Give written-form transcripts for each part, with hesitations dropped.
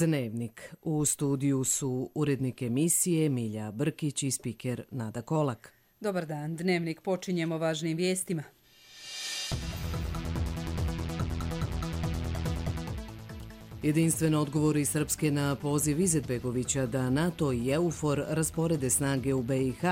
Dnevnik. U studiju su urednik emisije Milja Brkić i spiker Nada Kolak. Dobar dan, Dnevnik počinjemo važnim vijestima. Jedinstven odgovor iz Srpske na poziv Izetbegovića da NATO i EUFOR rasporede snage u BiH.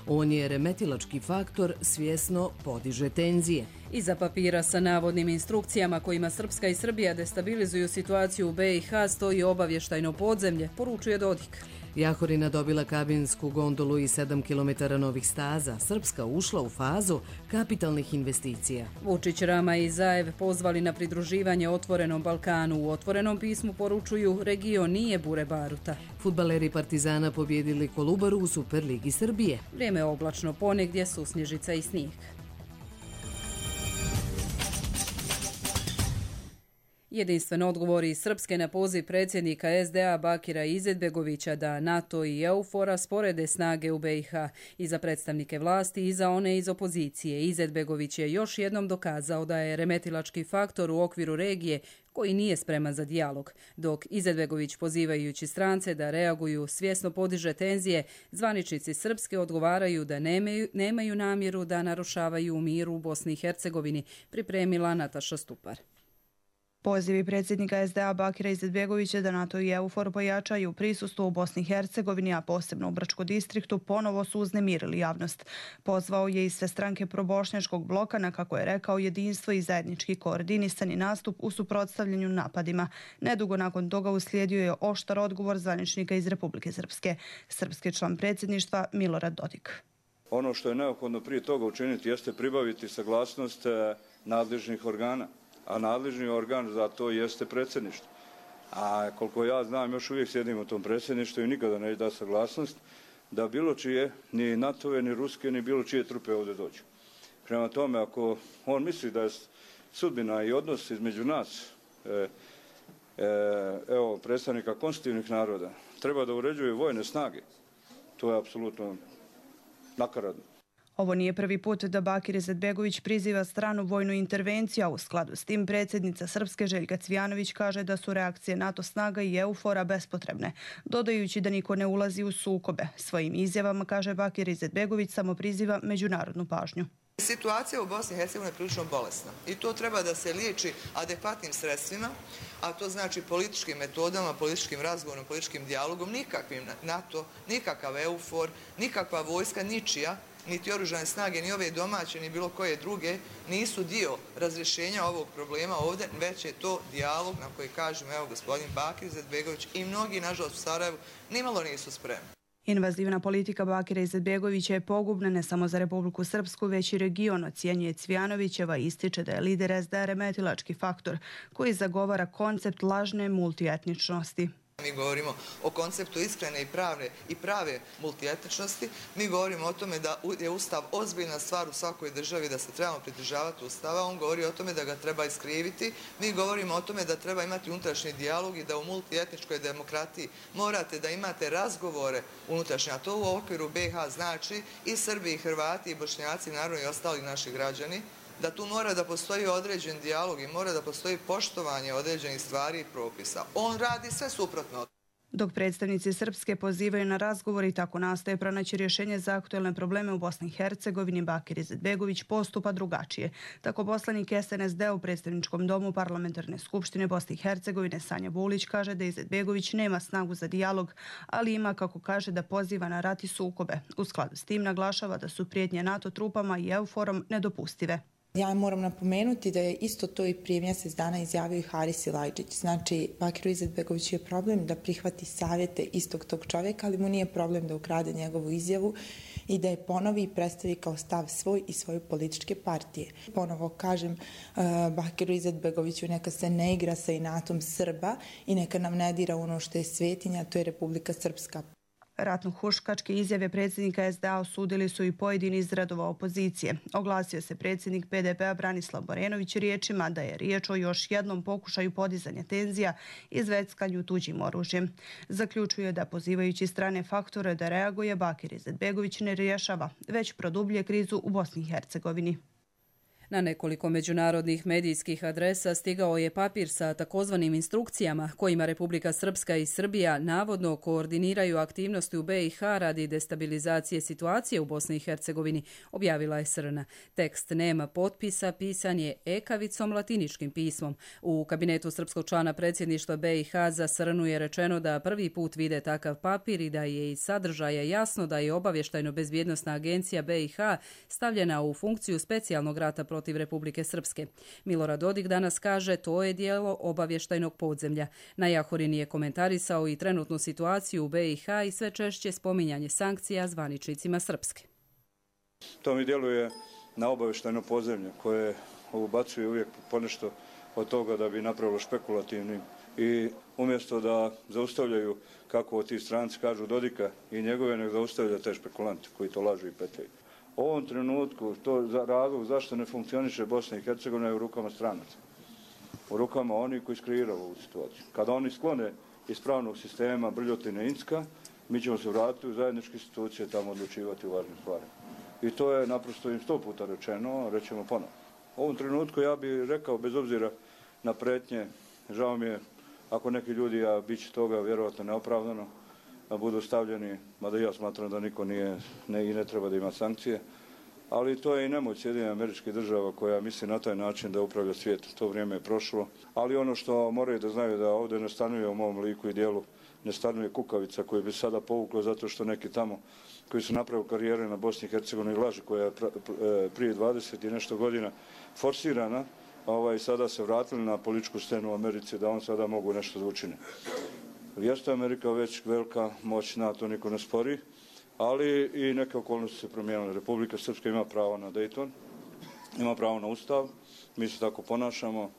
On je remetilački faktor, svjesno podiže tenzije. Iza papira sa navodnim instrukcijama kojima Srpska i Srbija destabilizuju situaciju u BiH stoji obavještajno podzemlje, poručuje Dodik. Jahorina dobila kabinsku gondolu i 7 km novih staza. Srpska ušla u fazu kapitalnih investicija. Vučić, Rama i Zaev pozvali na pridruživanje Otvorenom Balkanu. U otvorenom pismu poručuju region nije bure baruta. Fudbaleri Partizana pobjedili Kolubaru u Superligi Srbije. Vrijeme je oblačno, ponegdje susnježica i snijeg. Jedinstven odgovor iz Srpske na poziv predsjednika SDA Bakira Izetbegovića da NATO i EUFOR rasporede snage u BiH. I za predstavnike vlasti i za one iz opozicije. Izetbegović je još jednom dokazao da je remetilački faktor u okviru regije koji nije spreman za dijalog. Dok Izetbegović, pozivajući strance da reaguju, svjesno podiže tenzije, zvaničnici Srpske odgovaraju da nemaju namjeru da narušavaju mir u Bosni i Hercegovini, pripremila Nataša Stupar. Pozivi predsjednika SDA Bakira Izetbegovića da NATO i EUFOR pojačaju prisustvo u Bosni i Hercegovini, a posebno u Brčkom distriktu, ponovo su uznemirili javnost. Pozvao je i sve stranke probošnjačkog bloka na, kako je rekao, jedinstvo i zajednički koordinisani nastup u suprotstavljanju napadima. Nedugo nakon toga uslijedio je oštar odgovor zvaničnika iz Republike Srpske. Srpski član predsjedništva Milorad Dodik. Ono što je neophodno prije toga učiniti jeste pribaviti saglasnost nadležnih organa. A nadležni organ za to jeste predsjedništvo. A koliko ja znam, još uvijek sjedimo u tom predsjedništvu i nikada neće da saglasnost da bilo čije, ni NATO-ve, ni ruske, ni bilo čije trupe ovdje dođu. Prema tome, ako on misli da je sudbina i odnos između nas, predstavnika konstitutivnih naroda, treba da uređuje vojne snage, to je apsolutno nakaradno. Ovo nije prvi put da Bakir Izetbegović priziva stranu vojnu intervenciju, a u skladu s tim predsjednica Srpske Željka Cvijanović kaže da su reakcije NATO snaga i EUFOR-a bespotrebne, dodajući da niko ne ulazi u sukobe. Svojim izjavama, kaže Bakir Izetbegović, samo priziva međunarodnu pažnju. Situacija u Bosni i Hercegovini je prilično bolesna i to treba da se liječi adekvatnim sredstvima, a to znači političkim metodama, političkim razgovorom, političkim dijalogom. Nikakvim NATO, nikakav EUFOR, nikakva vojska, ničija, niti oružane snage, ni ove domaće, ni bilo koje druge, nisu dio razrješenja ovog problema ovdje, već je to dijalog na koji kažem, evo, gospodin Bakir Izetbegović i mnogi, nažalost, u Sarajevu nimalo nisu spremni. Invazivna politika Bakira Izetbegovića je pogubna ne samo za Republiku Srpsku, već i region, ocjenjuje Cvijanovićeva, ističe da je lider SDA remetilački faktor koji zagovara koncept lažne multietničnosti. Mi govorimo o konceptu iskrene i prave multietničnosti. Mi govorimo o tome da je Ustav ozbiljna stvar u svakoj državi, da se trebamo pridržavati Ustava. On govori o tome da ga treba iskriviti. Mi govorimo o tome da treba imati unutrašnji dijalog i da u multietničkoj demokratiji morate da imate razgovore unutrašnje. A to u okviru BiH znači i Srbi, i Hrvati, i Bošnjaci, naravno i ostali naši građani, da tu mora da postoji određen dijalog i mora da postoji poštovanje određenih stvari i propisa. On radi sve suprotno. Dok predstavnici Srpske pozivaju na razgovor i tako nastoje pronaći rješenje za aktuelne probleme u Bosni i Hercegovini, Bakir Izetbegović postupa drugačije. Tako poslanik SNSD u predstavničkom domu Parlamentarne skupštine Bosne i Hercegovine Sanja Bulić kaže da Izetbegović nema snagu za dijalog, ali ima, kako kaže, da poziva na rat i sukobe. U skladu s tim naglašava da su prijetnje NATO trupama i EUFOR-om nedopustive. Ja moram napomenuti da je isto to i prije mjesec dana izjavio i Haris Silajdžić. Znači, Bakiru Izetbegoviću je problem da prihvati savjete istog tog čovjeka, ali mu nije problem da ukrade njegovu izjavu i da je ponovi i predstavi kao stav svoj i svoje političke partije. Ponovo kažem Bakiru Izetbegoviću, neka se ne igra sa inatom Srba i neka nam ne dira ono što je svetinja, to je Republika Srpska. Ratno-huškačke izjave predsjednika SDA osudili su i pojedini iz redova opozicije. Oglasio se predsjednik PDP-a Branislav Borenović riječima da je riječ o još jednom pokušaju podizanja tenzija i zveckanju tuđim oružjem. Zaključuje da pozivajući strane faktore da reaguje, Bakir Izetbegović ne rješava, već produbljuje krizu u Bosni i Hercegovini. Na nekoliko međunarodnih medijskih adresa stigao je papir sa takozvanim instrukcijama kojima Republika Srpska i Srbija navodno koordiniraju aktivnosti u BiH radi destabilizacije situacije u Bosni i Hercegovini, objavila je Srna. Tekst nema potpisa, pisan je ekavicom latiničkim pismom. U kabinetu srpskog člana predsjedništva BiH za Srnu je rečeno da prvi put vide takav papir i da je iz sadržaja jasno da je obavještajno-bezbjednosna agencija BiH stavljena u funkciju specijalnog rata protiv Republike Srpske. Milorad Dodik danas kaže to je dijelo obavještajnog podzemlja. Na Jahorini je komentarisao i trenutnu situaciju u BiH i sve češće spominjanje sankcija zvaničnicima Srpske. To mi djeluje na obavještajno podzemlje koje ubacuje uvijek ponešto od toga da bi napravilo špekulativnim i umjesto da zaustavljaju, kako ti stranci kažu, Dodika i njegove, nek zaustavlja te špekulante koji to lažu i petaju. U ovom trenutku to za razlog zašto ne funkcioniše Bosna i Hercegovina je u rukama stranaca. U rukama onih koji iskreiraju ovu situaciju. Kada oni sklone iz pravnog sistema brljotine Inska, mi ćemo se vratiti u zajedničke institucije tamo odlučivati u važnim stvarima. I to je naprosto im 100 puta rečeno, rećemo ponovno. U ovom trenutku ja bih rekao, bez obzira na pretnje, žao mi je ako neki ljudi, a bit će toga vjerovatno neopravdano, budu stavljeni, mada ja smatram da niko nije i ne treba da ima sankcije, ali to je i nemoć Sjedinjenih Američkih Država koja misli na taj način da upravlja svijetom. To vrijeme je prošlo, ali ono što moraju da znaju da ovdje ne stanuje u mom liku i dijelu, ne stanuje kukavica koju bi sada povuklo zato što neki tamo koji su napravili karijere na Bosni i Hercegovini laži koja je prije 20 i nešto godina forsirana, sada se vratili na političku scenu u Americi da on sada mogu nešto da učine. Jeste Amerika već velika moć, na to niko ne spori, ali i neke okolnosti se promijenile. Republika Srpska ima pravo na Dayton, ima pravo na Ustav, mi se tako ponašamo.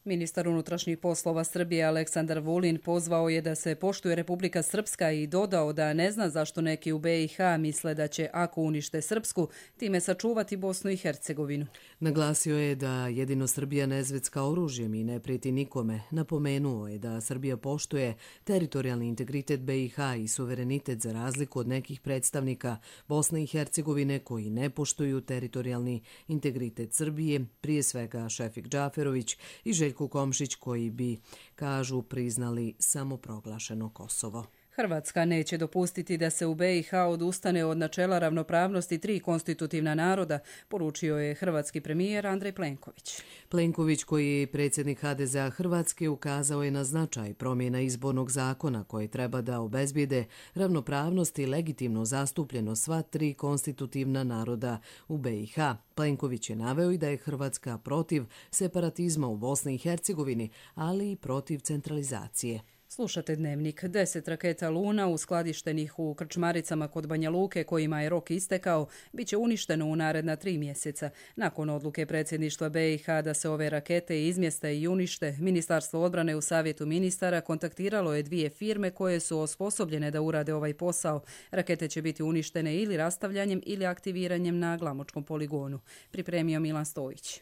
Ministar unutrašnjih poslova Srbije Aleksandar Vulin pozvao je da se poštuje Republika Srpska i dodao da ne zna zašto neki u BiH misle da će, ako unište Srpsku, time sačuvati Bosnu i Hercegovinu. Naglasio je da jedino Srbija ne zvecka oružjem i ne prijeti nikome. Napomenuo je da Srbija poštuje teritorijalni integritet BiH i suverenitet za razliku od nekih predstavnika Bosne i Hercegovine koji ne poštuju teritorijalni integritet Srbije, prije svega Šefik Džaferović i Željko Komšić koji bi, kažu, priznali samoproglašeno Kosovo. Hrvatska neće dopustiti da se u BiH odustane od načela ravnopravnosti 3 konstitutivna naroda, poručio je hrvatski premijer Andrej Plenković. Plenković, koji je predsjednik HDZ-a Hrvatske, ukazao je na značaj promjena izbornog zakona koje treba da obezbijede ravnopravnost i legitimno zastupljeno sva 3 konstitutivna naroda u BiH. Plenković je naveo i da je Hrvatska protiv separatizma u Bosni i Hercegovini, ali i protiv centralizacije. Slušate Dnevnik. 10 raketa Luna uskladištenih u krčmaricama kod Banja Luke, kojima je rok istekao, bit će uništeno u naredna 3 mjeseca. Nakon odluke predsjedništva BiH da se ove rakete izmjeste i unište, Ministarstvo odbrane u Savjetu ministara kontaktiralo je 2 firme koje su osposobljene da urade ovaj posao. Rakete će biti uništene ili rastavljanjem ili aktiviranjem na Glamočkom poligonu. Pripremio Milan Stojić.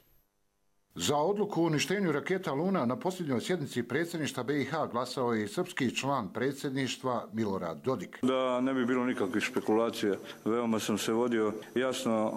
Za odluku o uništenju raketa Luna na posljednjoj sjednici predsjedništva BiH glasao je i srpski član predsjedništva Milorad Dodik. Da ne bi bilo nikakvih špekulacija, veoma sam se vodio jasno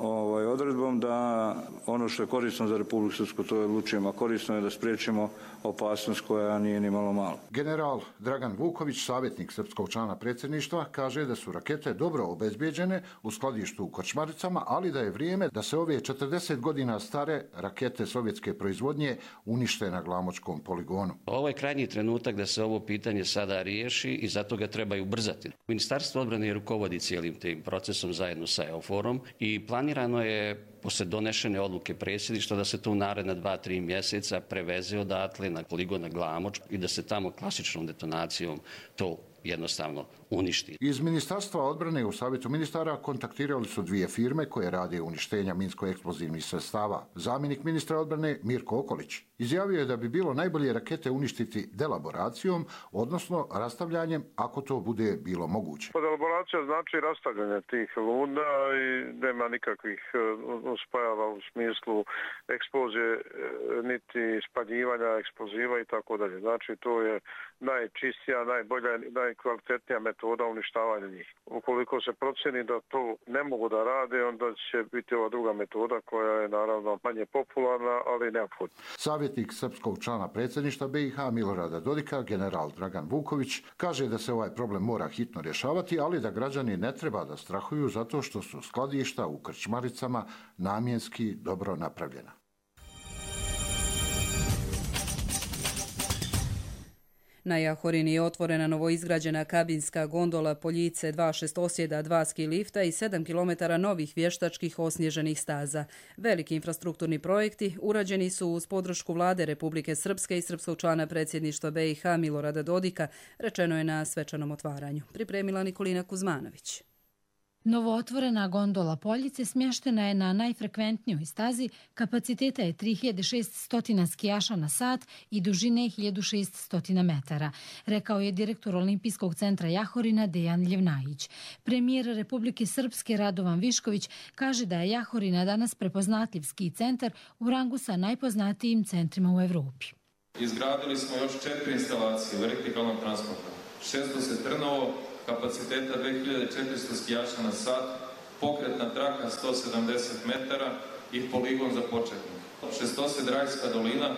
odredbom da ono što je korisno za Republiku Srpsku to je odlučujemo, a korisno je da spriječimo opasnost koja nije ni malo malo. General Dragan Vuković, savjetnik srpskog člana predsjedništva, kaže da su rakete dobro obezbijeđene u skladištu u Krčmaricama, ali da je vrijeme da se ove 40 godina stare rakete sovjetske proizvodnje unište na Glamočkom poligonu. Ovo je krajnji trenutak da se ovo pitanje sada riješi i zato ga treba i ubrzati. Ministarstvo odbrane rukovodi cijelim tim procesom zajedno sa EUFOR-om i planirano je poslije donešene odluke predsjedništva da se to u naredna 2-3 mjeseca preveze odatle na poligon na Glamoč i da se tamo klasičnom detonacijom to jednostavno uništi. Iz Ministarstva odbrane u Savjetu ministara kontaktirali su 2 firme koje rade uništenja minsko-eksplozivnih sredstava. Zamjenik ministra odbrane Mirko Okolić izjavio je da bi bilo najbolje rakete uništiti delaboracijom, odnosno rastavljanjem, ako to bude bilo moguće. Delaboracija znači rastavljanje tih luna i nema nikakvih uspajava u smislu eksplozije, niti spaljivanja eksploziva i tako dalje. Znači to je najčistija, najbolja, najkvalitetnija metoda uništavanja njih. Ukoliko se proceni da to ne mogu da rade, onda će biti ova druga metoda koja je naravno manje popularna, ali neophodna. Savjetnik srpskog člana predsjedništva BiH Milorada Dodika, general Dragan Vuković, kaže da se ovaj problem mora hitno rješavati, ali da građani ne treba da strahuju zato što su skladišta u krčmaricama namjenski dobro napravljena. Na Jahorini je otvorena novoizgrađena kabinska gondola Poljice, 2 šestosjeda, 2 ski lifta i 7 km novih vještačkih osnježenih staza. Veliki infrastrukturni projekti urađeni su uz podršku vlade Republike Srpske i srpskog člana predsjedništva BiH Milorada Dodika, rečeno je na svečanom otvaranju. Pripremila Nikolina Kuzmanović. Novootvorena gondola Poljice smještena je na najfrekventnijoj stazi, kapaciteta je 3600 skijaša na sat i dužine 1600 metara, rekao je direktor Olimpijskog centra Jahorina Dejan Ljevnajić. Premijer Republike Srpske Radovan Višković kaže da je Jahorina danas prepoznatljiv ski centar u rangu sa najpoznatijim centrima u Evropi. Izgradili smo još 4 instalacije vertikalnog transporta, 600 trnovo, kapaciteta 2400 skijaša na sat, pokretna traka 170 metara i poligon za početnik. 600 Rajska dolina,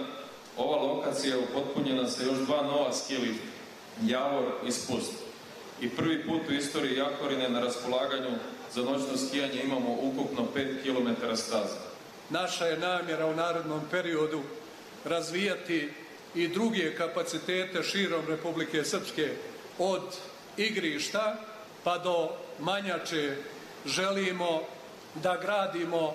ova lokacija je upotpunjena sa još 2 nova ski lifta, Javor i Spust. I prvi put u istoriji Jahorine na raspolaganju za noćno skijanje imamo ukupno 5 km staza. Naša je namjera u narednom periodu razvijati i druge kapacitete širom Republike Srpske, od igrišta pa do Manjače. Želimo da gradimo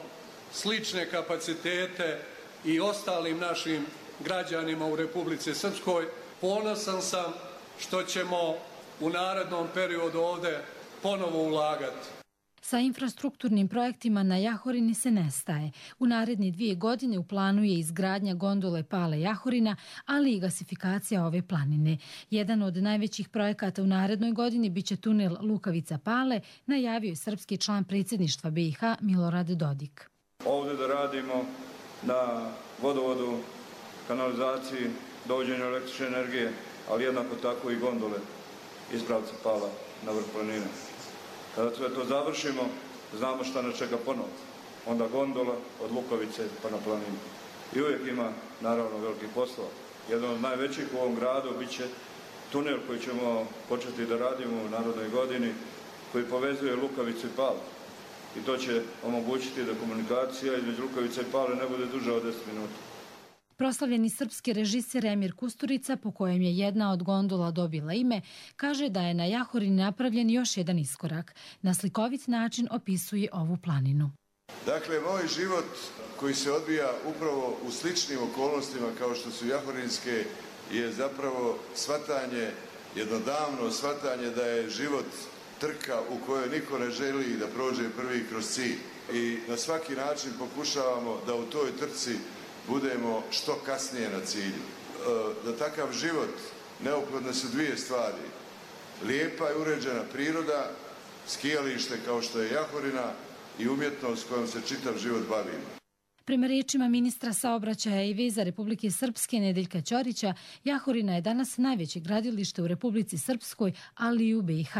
slične kapacitete i ostalim našim građanima u Republici Srpskoj. Ponosan sam što ćemo u narednom periodu ovdje ponovo ulagati. Sa infrastrukturnim projektima na Jahorini se ne staje. U naredne 2 godine u planu je izgradnja gondole Pale Jahorina, ali i gasifikacija ove planine. Jedan od najvećih projekata u narednoj godini biće tunel Lukavica Pale, najavio je srpski član predsjedništva BiH Milorad Dodik. Ovdje da radimo na vodovodu, kanalizaciji, dovođenju električne energije, ali jednako tako i gondole iz pravca Pala na vrh planine. Kada sve to završimo, znamo šta nas čeka ponovo. Onda gondola od Lukovice pa na planinu. I uvijek ima, naravno, velikih poslova. Jedan od najvećih u ovom gradu bit će tunel koji ćemo početi da radimo u narodnoj godini, koji povezuje Lukavicu i Palu. I to će omogućiti da komunikacija između Lukavice i Pale ne bude duža od 10 minuta. Proslavljeni srpski režiser Emir Kusturica, po kojem je jedna od gondola dobila ime, kaže da je na Jahorini napravljen još jedan iskorak. Na slikovit način opisuje ovu planinu. Dakle, moj život koji se odvija upravo u sličnim okolnostima kao što su jahorinske je zapravo shvatanje, jedno davno shvatanje da je život trka u kojoj niko ne želi da prođe prvi kroz cilj. I na svaki način pokušavamo da u toj trci budemo što kasnije na cilju. Za takav život neophodne su 2 stvari. Lijepa i uređena priroda, skijalište kao što je Jahorina i umjetnost kojom se čitav život bavimo. Prema riječima ministra saobraćaja i veza Republike Srpske Nedeljka Ćorića, Jahorina je danas najveće gradilište u Republici Srpskoj, ali i u BiH.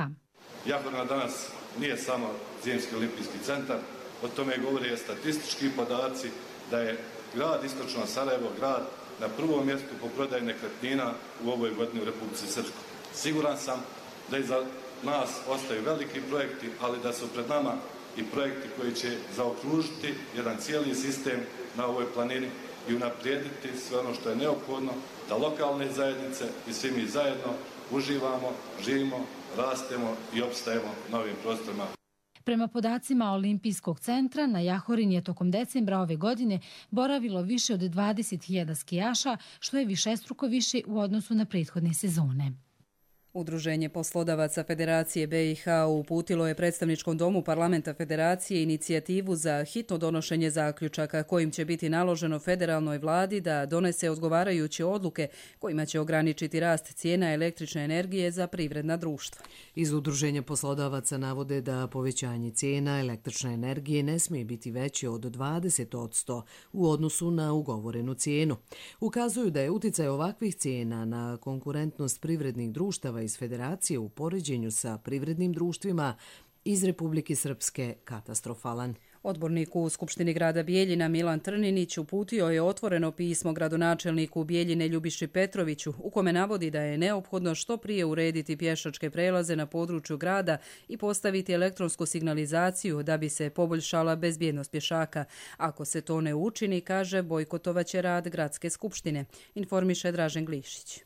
Jahorina danas nije samo zimski olimpijski centar, o tome govore i statistički podaci da je grad Istočno Sarajevo, grad na prvom mjestu po prodaji nekretnina u ovoj godini u Republici Srpskoj. Siguran sam da iza nas ostaju veliki projekti, ali da su pred nama i projekti koji će zaokružiti jedan cijeli sistem na ovoj planini i unaprijediti sve ono što je neophodno da lokalne zajednice i svi mi zajedno uživamo, živimo, rastemo i opstajemo na ovim prostorima. Prema podacima Olimpijskog centra, na Jahorini je tokom decembra ove godine boravilo više od 20.000 skijaša, što je višestruko više u odnosu na prethodne sezone. Udruženje poslodavaca Federacije BiH uputilo je predstavničkom domu Parlamenta Federacije inicijativu za hitno donošenje zaključaka kojim će biti naloženo federalnoj vladi da donese odgovarajuće odluke kojima će ograničiti rast cijena električne energije za privredna društva. Iz Udruženja poslodavaca navode da povećanje cijena električne energije ne smije biti veće od 20% u odnosu na ugovorenu cijenu. Ukazuju da je uticaj ovakvih cijena na konkurentnost privrednih društava iz Federacije u poređenju sa privrednim društvima iz Republike Srpske katastrofalan. Odbornik u Skupštini grada Bijeljina Milan Trninić uputio je otvoreno pismo gradonačelniku Bijeljine Ljubiši Petroviću u kome navodi da je neophodno što prije urediti pješačke prelaze na području grada i postaviti elektronsku signalizaciju da bi se poboljšala bezbjednost pješaka. Ako se to ne učini, kaže, bojkotovaće rad gradske skupštine, informiše Dražen Glišić.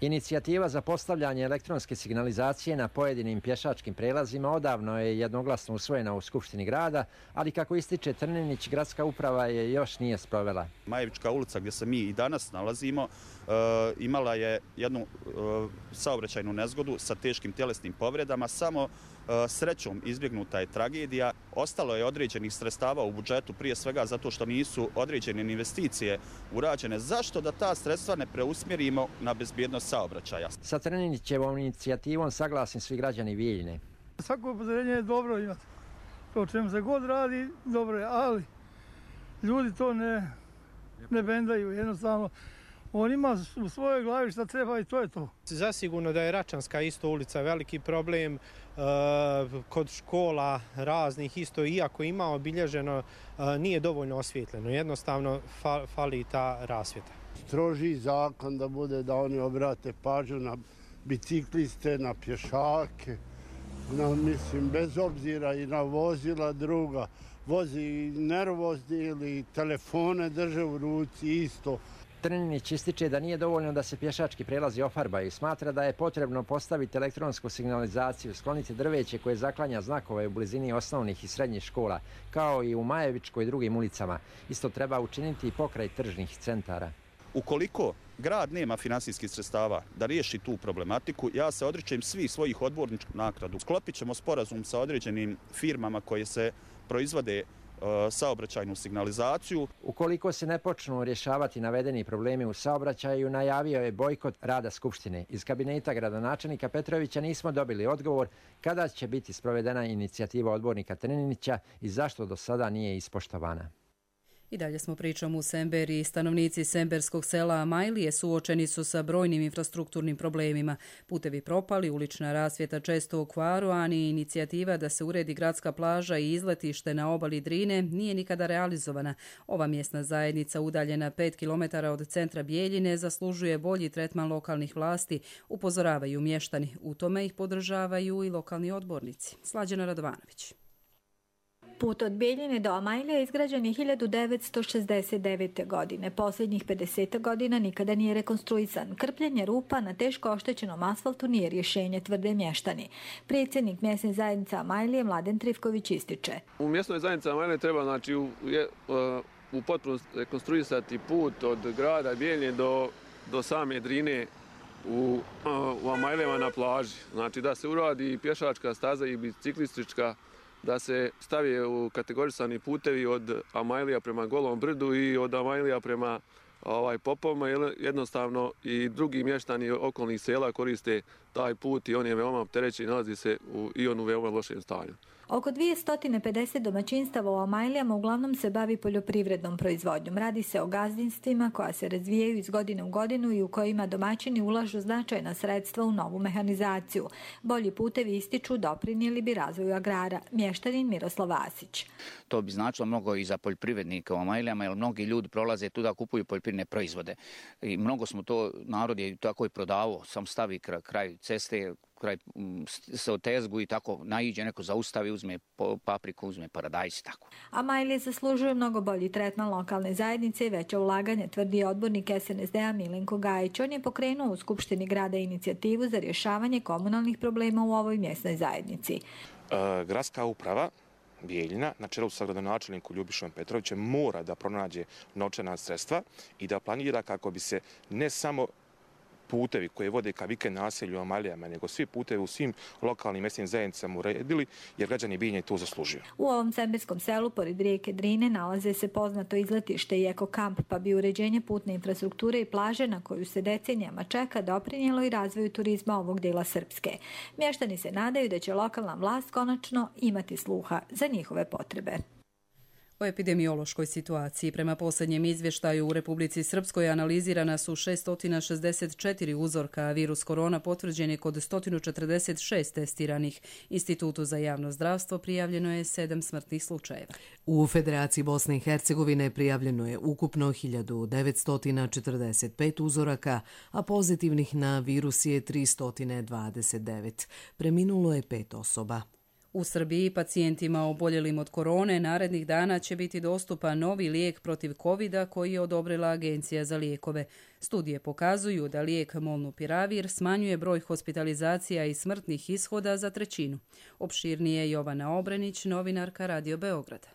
Inicijativa za postavljanje elektronske signalizacije na pojedinim pješačkim prelazima odavno je jednoglasno usvojena u Skupštini grada, ali kako ističe Trninić, gradska uprava je još nije sprovela. Majevička ulica gdje se mi i danas nalazimo imala je jednu saobraćajnu nezgodu sa teškim tjelesnim povredama. Samo srećom izbjegnuta je tragedija. Ostalo je određenih sredstava u budžetu, prije svega zato što nisu određene investicije urađene. Zašto da ta sredstva ne preusmjerimo na bezbjednost saobraćaja? Sa Trninićevom inicijativom saglasni svi građani Bijeljine. Svako upozorenje je dobro imati. To čemu se god radi, dobro je, ali ljudi to ne bendaju, jednostavno. On ima u svojoj glavi šta treba i to je to. Zasigurno da je Račanska isto ulica veliki problem, kod škola raznih isto, iako ima obilježeno, nije dovoljno osvjetljeno. Jednostavno fali ta rasvjeta. Stroži zakon da bude da oni obrate pažnju na bicikliste, na pješake, mislim, bez obzira i na vozila druga. Vozi nervozni ili telefone drže u ruci isto. Trninić ističe da nije dovoljno da se pješački prelazi ofarbaju i smatra da je potrebno postaviti elektronsku signalizaciju, skloniti drveće koje zaklanja znakove u blizini osnovnih i srednjih škola, kao i u Majevičkoj i drugim ulicama. Isto treba učiniti i pokraj tržnih centara. Ukoliko grad nema finansijskih sredstava da riješi tu problematiku, ja se odričem svih svojih odborničkih naknadu. Sklopit ćemo sporazum sa određenim firmama koje se proizvode saobraćajnu signalizaciju. Ukoliko se ne počnu rješavati navedeni problemi u saobraćaju, najavio je bojkot rada Skupštine. Iz kabineta gradonačelnika Petrovića nismo dobili odgovor kada će biti sprovedena inicijativa odbornika Trninića i zašto do sada nije ispoštovana. I dalje smo pričom u Semberi. Stanovnici semberskog sela Amajlije suočeni su sa brojnim infrastrukturnim problemima. Putevi propali, ulična rasvjeta često u kvaru, a ni inicijativa da se uredi gradska plaža i izletište na obali Drine nije nikada realizovana. Ova mjesna zajednica, udaljena 5 km od centra Bijeljine, zaslužuje bolji tretman lokalnih vlasti, upozoravaju mještani. U tome ih podržavaju i lokalni odbornici. Slađana Radovanović. Put od Bijeljine do Amajlija izgrađen je 1969. godine. Posljednjih 50 godina nikada nije rekonstruisan. Krpljenje rupa na teško oštećenom asfaltu nije rješenje, tvrde mještani. Predsjednik mjesne zajednice Amajlije Mladen Trifković ističe. U mjesnoj zajednici Amajlije treba u potpunosti rekonstruisati put od grada Bijeljine do same Drine u Amajlijama na plaži. Znači da se uradi pješačka staza i biciklistička, da se stavi u kategorisani putevi od Amajlija prema Golom brdu i od Amajlija prema Popovima. Jednostavno i drugi mještani okolnih sela koriste taj put i on je veoma opterećen i nalazi se i on u veoma lošem stanju. Oko 250 domaćinstava u Amajlijama uglavnom se bavi poljoprivrednom proizvodnjom. Radi se o gazdinstvima koja se razvijaju iz godine u godinu i u kojima domaćini ulažu značajna sredstva u novu mehanizaciju. Bolji putevi ističu doprinijeli bi razvoju agrara. Mještanin Miroslav Vasić. To bi značilo mnogo i za poljoprivrednike u Amajlijama, jer mnogi ljudi prolaze tu da kupuju poljoprivredne proizvode. I mnogo smo to, narod je tako i prodavao, sam stavi kraj ceste, kraj se otezgu i tako naiđe, neko zaustavi, uzme papriku, uzme paradajz i tako. Amajlije zaslužuju mnogo bolji tretman lokalne zajednice i veće ulaganje, tvrdi odbornik SNSD-a Milenko Gajić. On je pokrenuo u Skupštini grada inicijativu za rješavanje komunalnih problema u ovoj mjesnoj zajednici. Gradska uprava Bijeljina na čelu sa gradonačelnikom Ljubišom Petrovićem mora da pronađe novčana sredstva i da planira kako bi se ne samo putevi koji vode ka vikend naselju u Amajlijama, nego svi putevi u svim lokalnim mjesnim zajednicama uredili, jer građani Binja i to zaslužuju. U ovom sembirskom selu, pored rijeke Drine, nalaze se poznato izletište i ekokamp, pa bi uređenje putne infrastrukture i plaže na koju se decenijama čeka doprinijelo i razvoju turizma ovog dela Srpske. Mještani se nadaju da će lokalna vlast konačno imati sluha za njihove potrebe. O epidemiološkoj situaciji. Prema posljednjem izvještaju u Republici Srpskoj analizirana su 664 uzorka, a virus korona potvrđen je kod 146 testiranih. Institutu za javno zdravstvo prijavljeno je 7 smrtnih slučajeva. U Federaciji Bosne i Hercegovine prijavljeno je ukupno 1945 uzoraka, a pozitivnih na virus je 329. Preminulo je 5 osoba. U Srbiji pacijentima oboljelim od korone narednih dana će biti dostupan novi lijek protiv covida koji je odobrila Agencija za lijekove. Studije pokazuju da lijek Molnupiravir smanjuje broj hospitalizacija i smrtnih ishoda za 1/3. Opširnije Jovana Obrenić, novinarka Radio Beograda.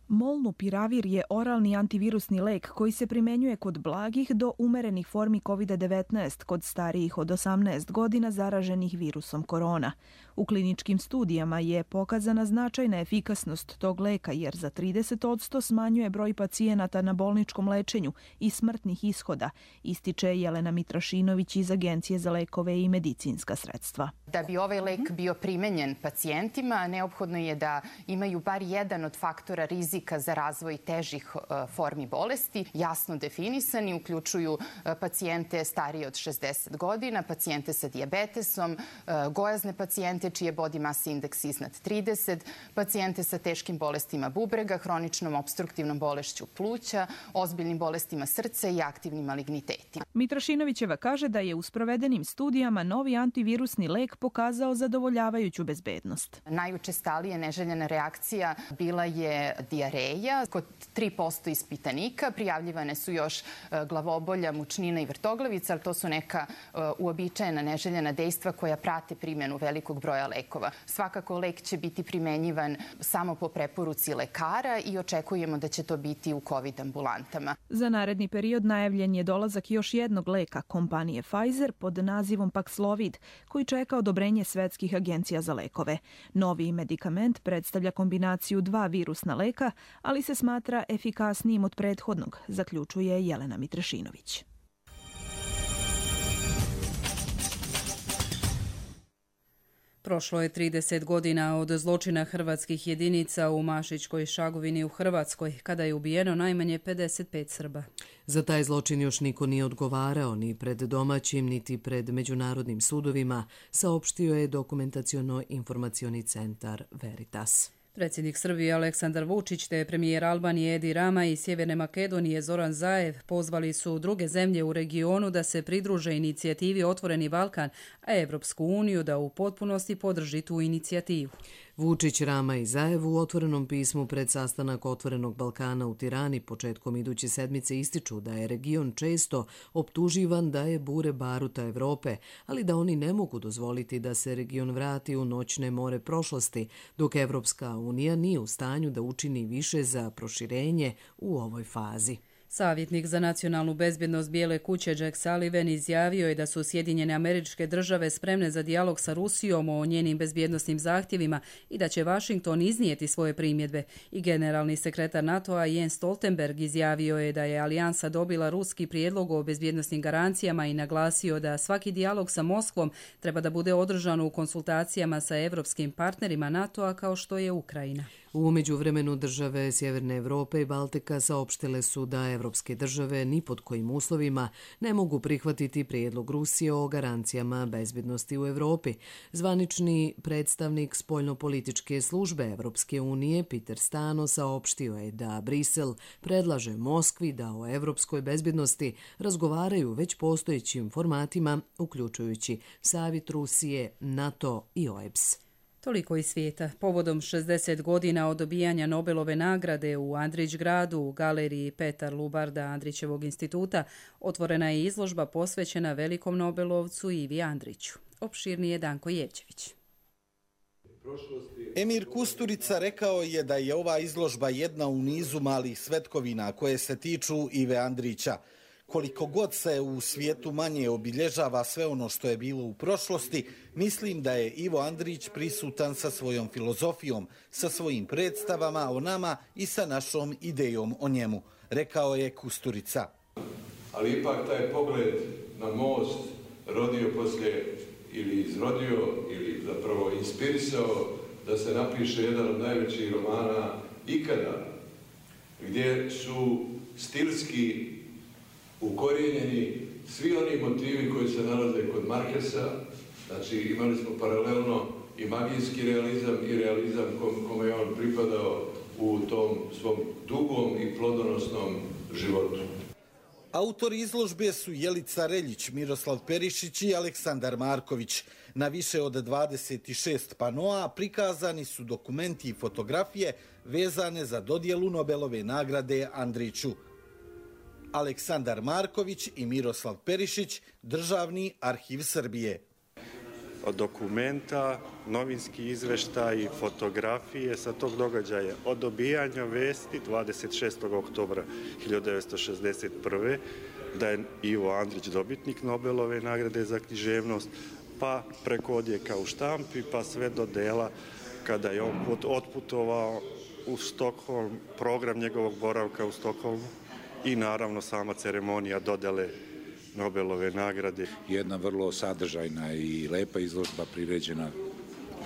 Molnupiravir je oralni antivirusni lek koji se primjenjuje kod blagih do umerenih formi COVID-19 kod starijih od 18 godina zaraženih virusom korona. U kliničkim studijama je pokazana značajna efikasnost tog leka jer za 30% smanjuje broj pacijenata na bolničkom lečenju i smrtnih ishoda, ističe Jelena Mitrašinović iz Agencije za lekove i medicinska sredstva. Da bi ovaj lek bio primenjen pacijentima, neophodno je da imaju bar jedan od faktora rizika za razvoj težih formi bolesti, jasno definisani, uključuju pacijente starije od 60 godina, pacijente sa dijabetesom, gojazne pacijente čiji je body mass index iznad 30, pacijente sa teškim bolestima bubrega, hroničnom opstruktivnom bolešću pluća, ozbiljnim bolestima srca i aktivnim malignitetima. Mitrašinovićeva kaže da je u sprovedenim studijama novi antivirusni lek pokazao zadovoljavajuću bezbednost. Najučestalija neželjena reakcija bila je dijareja. Kod 3% ispitanika prijavljivane su još glavobolja, mučnina i vrtoglavica, ali to su neka uobičajena neželjena dejstva koja prate primjenu velikog broja lekova. Svakako lek će biti primenjivan samo po preporuci lekara i očekujemo da će to biti u COVID ambulantama. Za naredni period najavljen je dolazak još jednog leka kompanije Pfizer pod nazivom Paxlovid, koji čeka odobrenje svetskih agencija za lekove. Novi medikament predstavlja kombinaciju 2 virusna leka, ali se smatra efikasnijim od prethodnog, zaključuje Jelena Mitrašinović. Prošlo je 30 godina od zločina hrvatskih jedinica u Mašičkoj Šagovini u Hrvatskoj, kada je ubijeno najmanje 55 Srba. Za taj zločin još niko nije odgovarao ni pred domaćim, niti pred međunarodnim sudovima, saopštio je Dokumentaciono-informacioni centar Veritas. Predsjednik Srbije Aleksandar Vučić te premijer Albanije Edi Rama i Sjeverne Makedonije Zoran Zaev pozvali su druge zemlje u regionu da se pridruže inicijativi Otvoreni Balkan, a Evropsku uniju da u potpunosti podrži tu inicijativu. Vučić, Rama i Zaev u otvorenom pismu pred sastanak Otvorenog Balkana u Tirani početkom iduće sedmice ističu da je region često optuživan da je bure baruta Evrope, ali da oni ne mogu dozvoliti da se region vrati u noćne more prošlosti, dok Evropska unija nije u stanju da učini više za proširenje u ovoj fazi. Savjetnik za nacionalnu bezbjednost Bijele kuće Jack Sullivan izjavio je da su Sjedinjene Američke Države spremne za dijalog sa Rusijom o njenim bezbjednosnim zahtjevima i da će Washington iznijeti svoje primjedbe. I generalni sekretar NATO-a Jens Stoltenberg izjavio je da je alijansa dobila ruski prijedlog o bezbjednosnim garancijama i naglasio da svaki dijalog sa Moskvom treba da bude održan u konsultacijama sa evropskim partnerima NATO-a kao što je Ukrajina. U međuvremenu države Sjeverne Evrope i Baltika saopštile su da evropske države ni pod kojim uslovima ne mogu prihvatiti prijedlog Rusije o garancijama bezbjednosti u Evropi. Zvanični predstavnik spoljnopolitičke službe Evropske unije Peter Stano saopštio je da Brisel predlaže Moskvi da o evropskoj bezbjednosti razgovaraju već postojećim formatima, uključujući Savjet Rusije, NATO i OEBS. Toliko iz svijeta. Povodom 60 godina od dobijanja Nobelove nagrade u Andrićgradu u galeriji Petar Lubarda Andrićevog instituta otvorena je izložba posvećena velikom Nobelovcu Ivi Andriću. Opširnije Danko Jevčević. Emir Kusturica rekao je da je ova izložba jedna u nizu malih svetkovina koje se tiču Ive Andrića. Koliko god se u svijetu manje obilježava sve ono što je bilo u prošlosti, mislim da je Ivo Andrić prisutan sa svojom filozofijom, sa svojim predstavama o nama i sa našom idejom o njemu, rekao je Kusturica. Ali ipak taj pogled na most rodio poslije ili izrodio ili zapravo inspirisao da se napiše jedan od najvećih romana ikada, gdje su stilski ukorijenjeni svi oni motivi koji se nalaze kod Markesa. Znači imali smo paralelno i magijski realizam i realizam kome je on pripadao u tom svom dugom i plodonosnom životu. Autori izložbe su Jelica Reljić, Miroslav Perišić i Aleksandar Marković. Na više od 26 panoa prikazani su dokumenti i fotografije vezane za dodjelu Nobelove nagrade Andriću. Aleksandar Marković i Miroslav Perišić, Državni arhiv Srbije. Od dokumenta, novinski izveštaj, fotografije sa tog događaja, od dobijanja vesti 26. oktobra 1961. da je Ivo Andrić dobitnik Nobelove nagrade za književnost, pa preko odjeka u štampi, pa sve do dela kada je on otputovao u Stokholm, program njegovog boravka u Stokholmu i naravno sama ceremonija dodele Nobelove nagrade. Jedna vrlo sadržajna i lepa izložba priređena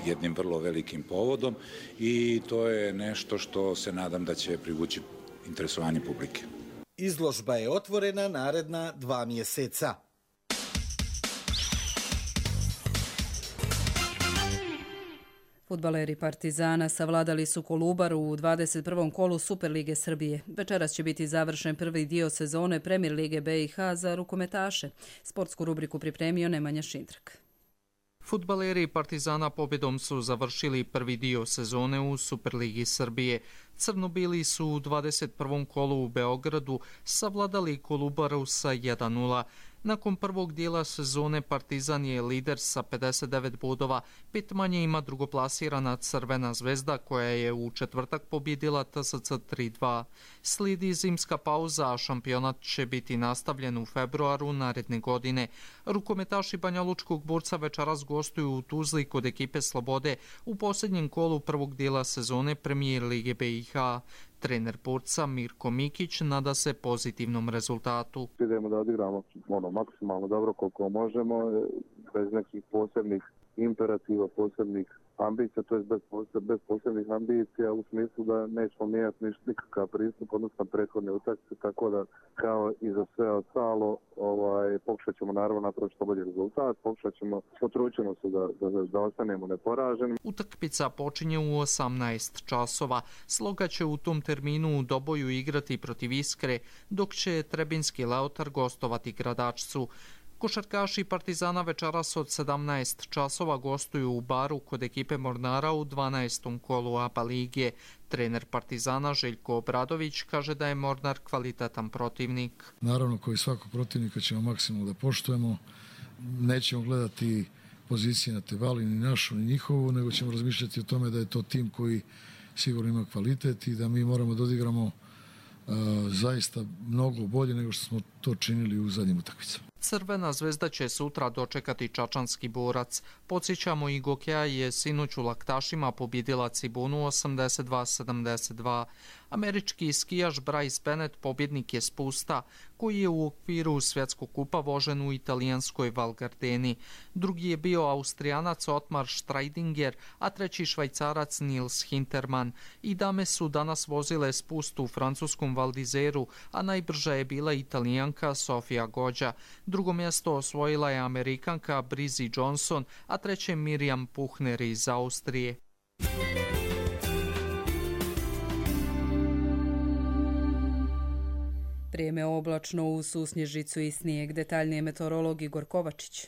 jednim vrlo velikim povodom i to je nešto što se nadam da će privući interesovanje publike. Izložba je otvorena naredna 2 mjeseca. Fudbaleri Partizana savladali su Kolubaru u 21. kolu Superlige Srbije. Večeras će biti završen prvi dio sezone Premier Lige BiH za rukometaše. Sportsku rubriku pripremio Nemanja Šindrak. Fudbaleri Partizana pobjedom su završili prvi dio sezone u Superligi Srbije. Crno-bili su u 21. kolu u Beogradu savladali Kolubaru sa 1:0. Nakon prvog dijela sezone Partizan je lider sa 59 bodova, 5 manje ima drugoplasirana Crvena zvezda koja je u četvrtak pobjedila TSC 3:2. Slijedi zimska pauza, a šampionat će biti nastavljen u februaru naredne godine. Rukometaši Banjalučkog Borca večeras gostuju u Tuzli kod ekipe Slobode u posljednjem kolu prvog dijela sezone Premier Lige BiH. Trener Borca Mirko Mikić nada se pozitivnom rezultatu. Idemo da odigramo maksimalno dobro koliko možemo, bez nekih posebnih imperativa, posebnih ambicija, to je bez posebnih ambicija u smislu da nećemo mijenjati nikakav pristup odnosno prethodne utakmice, tako da kao i za sve ostalo pokušat ćemo naravno napraviti što bolji rezultat, potrudit ćemo se da ostanemo neporaženi. Utakmica počinje u 18 časova. Sloga će u tom terminu u Doboju igrati protiv Iskre, dok će Trebinski Leotar gostovati Gradačcu. Košarkaši Partizana večeras od 17 časova gostuju u Baru kod ekipe Mornara u 12. kolu ABA lige. Trener Partizana Željko Obradović kaže da je Mornar kvalitetan protivnik. Naravno, kao i svakog protivnika ćemo maksimalno da poštujemo. Nećemo gledati pozicije na Tevali, ni našu, ni njihovu, nego ćemo razmišljati o tome da je to tim koji sigurno ima kvalitet i da mi moramo da odigramo zaista mnogo bolje nego što smo to činili u zadnjim utakmicama. Crvena zvezda će sutra dočekati Čačanski Borac. Podsjećamo, i Gokeja je sinoć u Laktašima pobjedila Cibonu 82-72. Američki skijaš Bryce Bennett pobjednik je spusta, koji je u okviru svjetskog kupa vožen u italijanskoj Val Gardeni. Drugi je bio Austrijanac Otmar Streidinger, a treći Švajcarac Nils Hintermann. I dame su danas vozile spust u francuskom Val d'Izeru, a najbrža je bila Italijanka Sofia Gođa. Drugo mjesto osvojila je Amerikanka Brizzy Johnson, a treće Mirjam Puchner iz Austrije. Vrijeme oblačno uz susnježicu i snijeg. Detaljnije meteorolog Igor Kovačić.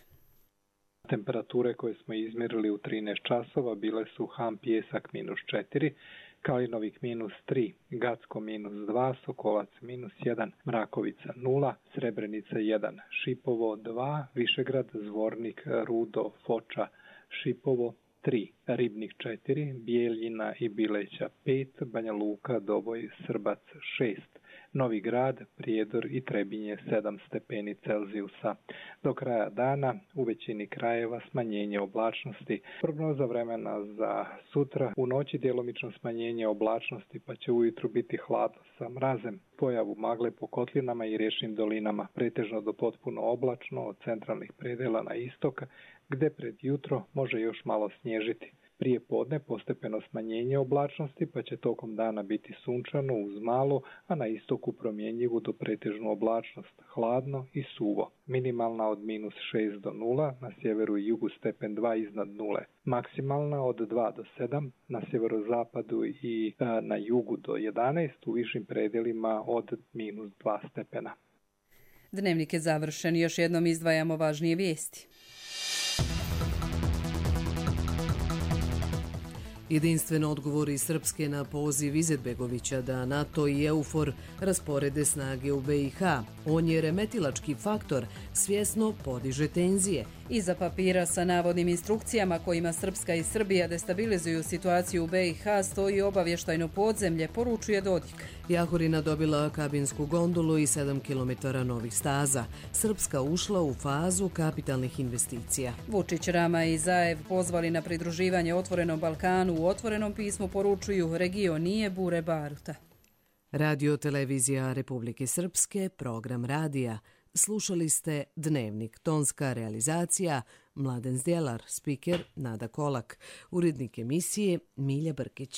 Temperature koje smo izmjerili u 13 časova bile su Ham Pijesak -4, Kalinovik -3, Gacko -2, Sokolac -1, Mrakovica 0, Srebrenica 1, Šipovo 2, Višegrad, Zvornik, Rudo, Foča, Šipovo 3, Ribnik 4, Bijeljina i Bileća 5, Banja Luka, Doboj, Srbac 6, Novi Grad, Prijedor i Trebinje 7 stepeni Celzijusa. Do kraja dana u većini krajeva smanjenje oblačnosti. Prognoza vremena za sutra, u noći djelomično smanjenje oblačnosti pa će ujutru biti hladno sa mrazem. Pojavu magle po kotlinama i riječnim dolinama, pretežno do potpuno oblačno od centralnih predela na istok, gde pred jutro može još malo snježiti. Prije podne postepeno smanjenje oblačnosti pa će tokom dana biti sunčano uz malo, a na istoku promjenjivu do pretežnu oblačnost, hladno i suvo. Minimalna od -6 do 0, na sjeveru i jugu stepen 2 iznad 0. Maksimalna od 2 do 7, na sjeverozapadu i na jugu do 11, u višim predelima od -2 stepena. Dnevnik je završen, još jednom izdvajamo važnije vijesti. Jedinstven odgovor iz Srpske na poziv Izetbegovića da NATO i EUFOR rasporede snage u BiH. On je remetilački faktor, svjesno podiže tenzije. Iza papira sa navodnim instrukcijama kojima Srpska i Srbija destabilizuju situaciju u BiH stoji obavještajno podzemlje, poručuje Dodik. Jahorina dobila kabinsku gondolu i 7 km novih staza. Srpska ušla u fazu kapitalnih investicija. Vučić, Rama i Zaev pozvali na pridruživanje Otvorenom Balkanu. U otvorenom pismu poručuju region nije bure baruta. Radio Televizija Republike Srpske, program radija. Slušali ste Dnevnik, tonska realizacija Mladen Zdjelar, spiker Nada Kolak, urednik emisije Milja Brkić.